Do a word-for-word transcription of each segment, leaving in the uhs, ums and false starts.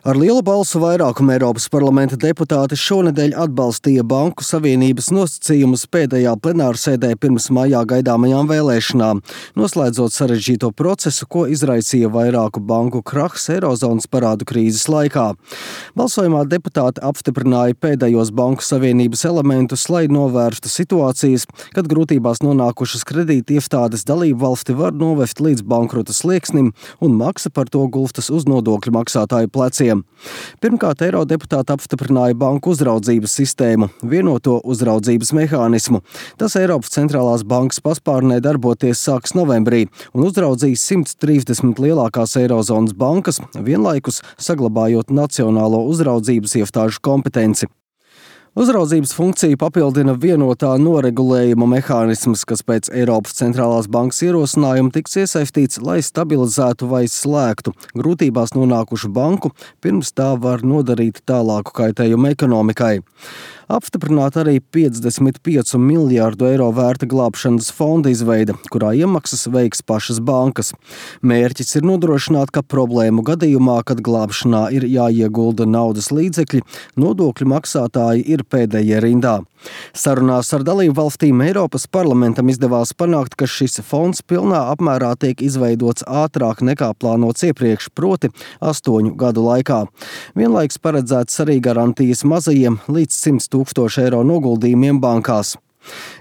Ar lielu balsu vairākumu Eiropas parlamenta deputāti šonedēļ atbalstīja Banku Savienības nosacījumus pēdējā plenārsēdē pirms maijā gaidāmajām vēlēšanām, noslēdzot sarežģīto procesu, ko izraisīja vairāku banku krahs Eirozonas parādu krīzes laikā. Balsojumā deputāti apstiprināja pēdējos Banku Savienības elementus, lai novērstu situācijas, kad grūtībās nonākušas kredītiestādes dalību valsti var novest līdz bankrota slieksnim un maksa par to gulstas uz nodokļu maksātāju pleciem. Pirmkārt, eirodeputāti apstiprināja banku uzraudzības sistēmu, vienoto uzraudzības mehānismu. Tas Eiropas centrālās bankas paspārnē darboties sāks novembrī un uzraudzīs simt trīsdesmit lielākās Eirozonas bankas, vienlaikus saglabājot nacionālo uzraudzības iestāžu kompetenci. Uzraudzības funkciju papildina vienotā noregulējuma mehānisms, kas pēc Eiropas centrālās bankas ierosinājuma tiks iesaistīts, lai stabilizētu vai slēgtu grūtībās nonākušu banku, pirms tā var nodarīt tālāku kaitējumu ekonomikai. Apstiprināta arī piecdesmit piecu miljārdu eiro vērta glābšanas fonda izveide, kurā iemaksas veiks pašas bankas. Mērķis ir nodrošināt, ka problēmu gadījumā, kad glābšanā ir jāiegulda naudas līdzekļi, nodokļu maksātāji ir pēdējie rindā. Sarunās ar dalību valstīm Eiropas parlamentam izdevās panākt, ka šis fonds pilnā apmērā tiek izveidots ātrāk nekā plānots iepriekš, proti astoņu gadu laikā. Vienlaiks paredzēts arī garantijas mazajiem līdz simt tūkstošu eiro noguldījumiem bankās.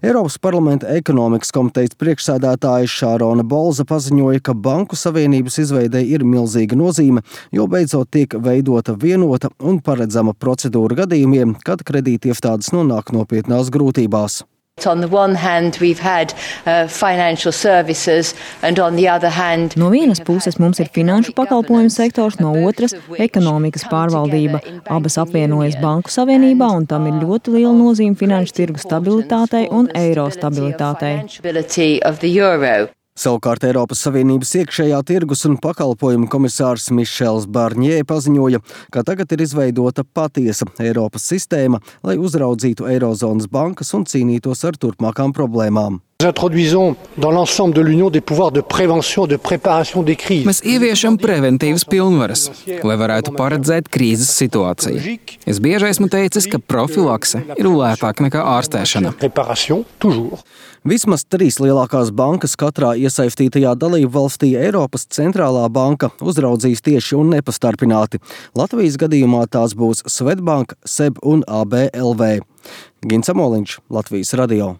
Eiropas parlamenta ekonomikas komitejas priekšsēdētāja Šārona Bolza paziņoja, ka Banku Savienības izveidei ir milzīga nozīme, jo beidzot tiek veidota vienota un paredzama procedūra gadījumiem, kad kredītiestādes nonāk nopietnās grūtībās. On the one hand, we've had uh, financial services, and on the other hand, no vienas puses mums ir finanšu pakalpojumu sektors, no otras ekonomikas pārvaldība. Abas apvienojas Banku Savienībā, un tam ir ļoti liela nozīme finanšu tirgu stabilitātei un eiro stabilitātei. Savukārt Eiropas Savienības iekšējā tirgus un pakalpojumu komisārs Mišels Barņē paziņoja, ka tagad ir izveidota patiesa Eiropas sistēma, lai uzraudzītu Eirozonas bankas un cīnītos ar turpmākām problēmām. Mēs ieviešam preventīvas pilnvaras, lai varētu paredzēt krīzes situāciju. Es bieži esmu teicis, ka profilakse ir lētāka nekā ārstēšana. Vismaz trīs lielākās bankas katrā iesaistītajā dalību valstī Eiropas centrālā banka uzraudzīs tieši un nepastarpināti. Latvijas gadījumā tās būs Swedbank, S E B un A B L V. Gins Amoliņš, Latvijas radio.